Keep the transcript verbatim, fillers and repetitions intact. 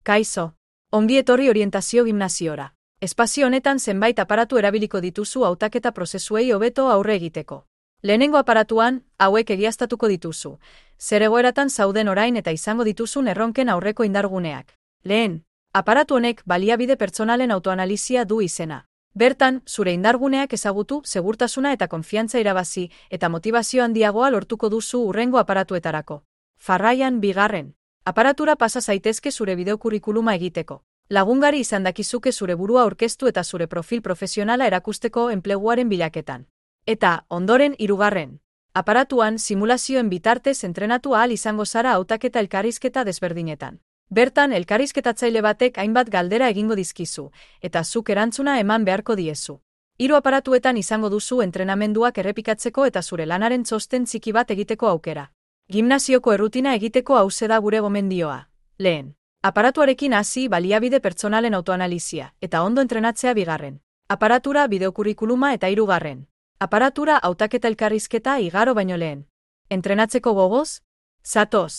Kaixo, ongi etorri orientazio gimnasiora. Espazio honetan zenbait aparatu erabiliko dituzu hautaketa prozesuei hobeto aurre egiteko. Lehenengo aparatuan, hauek egiaztatuko dituzu. Zer egoeratan zauden orain eta izango dituzun erronken aurreko indarguneak. Lehen, aparatu honek baliabide pertsonalen autoanalizia du izena. Bertan, zure indarguneak ezagutu, segurtasuna eta konfiantza irabazi, eta motivazio handiagoa lortuko duzu hurrengo aparatuetarako. Jarraian, bigarren. Aparatura pasa zaitezke zure bideokurrikuluma egiteko. Lagungari izan dakizuke zure burua aurkeztu eta zure profil profesionala erakusteko enpleguaren bilaketan. Eta, ondoren, hirugarren. Aparatuan, simulazioen bitartez entrenatu ahal izango zara hautaketa elkarrizketa desberdinetan. Bertan, elkarrizketatzaile batek hainbat galdera egingo dizkizu, eta zuk erantzuna eman beharko diezu. Hiru aparatuetan izango duzu entrenamenduak errepikatzeko eta zure lanaren txosten txiki bat egiteko aukera. Gimnasioko errutina egiteko hauxe da gure gomendioa. Lehen. Aparatuarekin hasi baliabide pertsonalen autoanalizia, eta ondo entrenatzea bigarren. Aparatura bideokurrikuluma eta hirugarren. Aparatura hautaketa elkarrizketa igaro baino lehen. Entrenatzeko gogoz? Zatoz.